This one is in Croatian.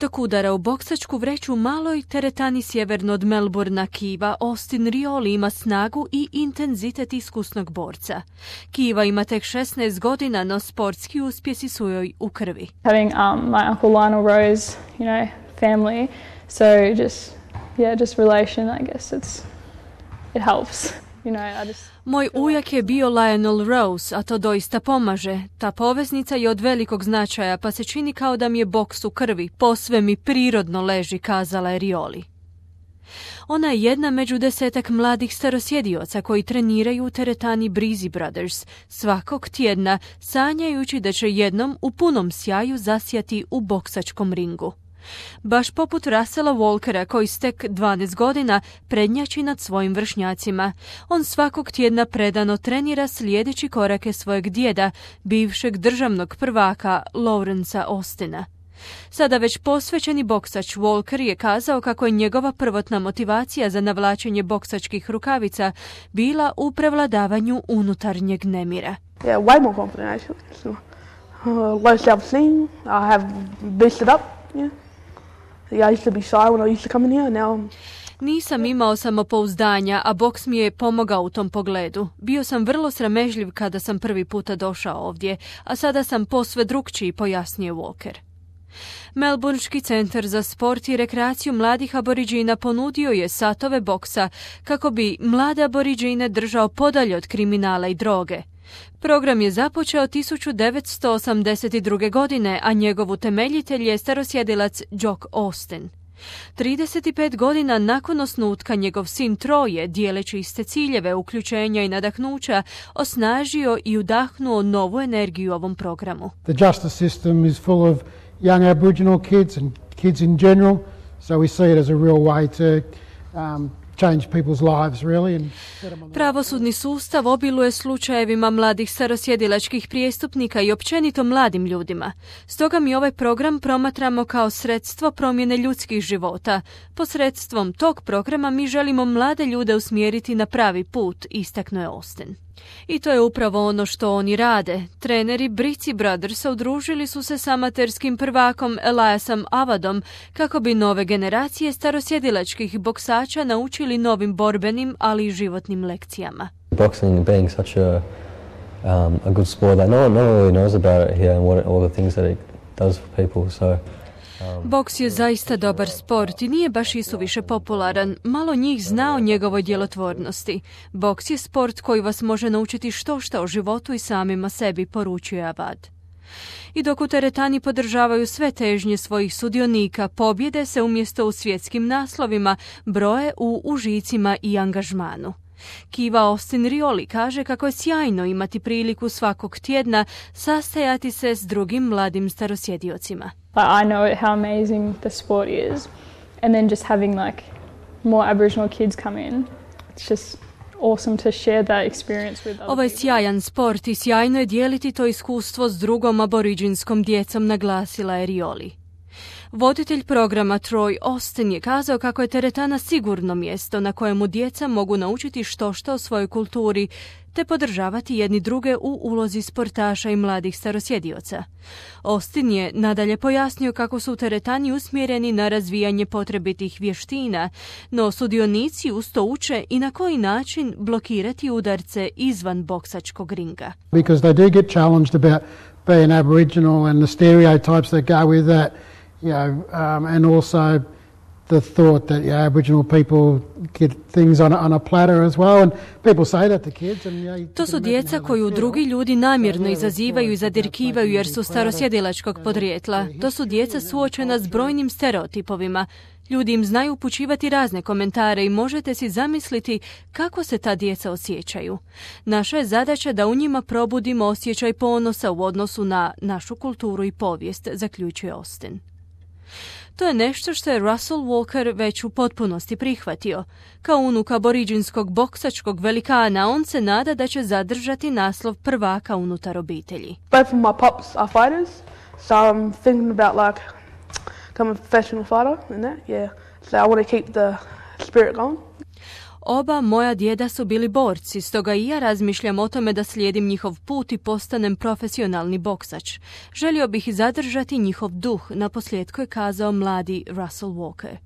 Dok udara u boksačku vreću maloj teretani sjeverno od Melbourna Kiva, Austin Rioli ima snagu i intenzitet iskusnog borca. Kiva ima tek 16 godina, no sportski uspjesi su joj u krvi. Having my uncle Lionel Rose, family, so just relation, I guess it helps. Moj ujak je bio Lionel Rose, a to doista pomaže. Ta poveznica je od velikog značaja, pa se čini kao da mi je boks u krvi. Posve mi prirodno leži, kazala je Rioli. Ona je jedna među 10 mladih starosjedioca koji treniraju u teretani Breezy Brothers svakog tjedna, sanjajući da će jednom u punom sjaju zasjati u boksačkom ringu. Baš poput Russella Walkera, koji s tek 12 godina prednjači nad svojim vršnjacima. On svakog tjedna predano trenira slijedeći korake svojeg djeda, bivšeg državnog prvaka Lawrencea Austina. Sada već posvećeni boksač Walker je kazao kako je njegova prvotna motivacija za navlačenje boksačkih rukavica bila u prevladavanju unutarnjeg nemira. Yeah, way more confident actually. Low self-esteem, I have boosted up, yeah. I used to be shy when I used to come in here, now Nisam imao samopouzdanja, a boks mi je pomogao u tom pogledu. Bio sam vrlo sramežljiv kada sam prvi puta došao ovdje, a sada sam posve drukčiji, pojasnio Walker. Melbourneški centar za sport i rekreaciju mladih aboriđina ponudio je satove boksa kako bi mlade aboriđine držao podalje od kriminala i droge. Program je započeo 1982. godine, a njegov utemeljitelj je starosjedilac Jock Austin. 35 godina nakon osnutka njegov sin Troje, dijeleći iste ciljeve, uključenja i nadahnuća, osnažio i udahnuo novu energiju ovom programu. The justice system is full of young Aboriginal kids and kids in general, so we see it as a real way to change people's lives, really. Pravosudni sustav obiluje slučajevima mladih starosjedilačkih prijestupnika i općenito mladim ljudima. Stoga mi ovaj program promatramo kao sredstvo promjene ljudskih života. Posredstvom tog programa mi želimo mlade ljude usmjeriti na pravi put, istaknuo je Austin. I to je upravo ono što oni rade. Treneri Breezy Brothersa udružili su se s amaterskim prvakom Eliasom Avadom kako bi nove generacije starosjedilačkih boksača naučili novim borbenim, ali i životnim lekcijama. Boxing being such a good sport that no one really knows about it here and all the things that it does for people, so boks je zaista dobar sport i nije baš isuviše popularan. Malo njih zna o njegovoj djelotvornosti. Boks je sport koji vas može naučiti što o životu i samima sebi, poručuje Avad. I dok u teretani podržavaju sve težnje svojih sudionika, pobjede se umjesto u svjetskim naslovima broje u užicima i angažmanu. Kiva Austin Rioli kaže kako je sjajno imati priliku svakog tjedna sastajati se s drugim mladim starosjediocima. I know how amazing the sport is, and then just having more Aboriginal kids come in, it's just awesome to share that experience with other Ovo je people. sjajan sport i sjajno je dijeliti to iskustvo s drugom aboriđinskom djecom, naglasila je Rioli. Voditelj programa Troy Austin je kazao kako je teretana sigurno mjesto na kojemu djeca mogu naučiti što o svojoj kulturi, te podržavati jedni druge u ulozi sportaša i mladih starosjedioca. Austin je nadalje pojasnio kako su u teretani usmjereni na razvijanje potrebitih vještina, no sudionici uz to uče i na koji način blokirati udarce izvan boksačkog ringa. Because they do get challenged about being Aboriginal and the stereotypes that go with that. And also the thought that Aboriginal people get things on a platter as well, and people say that to kids. To su djeca koju drugi ljudi namjerno izazivaju i zadirkivaju jer su starosjedilačkog podrijetla. To su djeca suočena s brojnim stereotipovima. Ljudi im znaju upućivati razne komentare i možete si zamisliti kako se ta djeca osjećaju. Naša je zadaća da u njima probudimo osjećaj ponosa u odnosu na našu kulturu i povijest, zaključuje Austin. To je nešto što je Russell Walker već u potpunosti prihvatio. Kao unuk aboriđinskog boksačkog velikana, on se nada da će zadržati naslov prvaka unutar obitelji. both of my pops are fighters, so I'm thinking about becoming a professional fighter and that, yeah. So I want to keep the spirit going. Oba moja djeda su bili borci, stoga i ja razmišljam o tome da slijedim njihov put i postanem profesionalni boksač. Želio bih zadržati njihov duh, naposljetku je kazao mladi Russell Walker.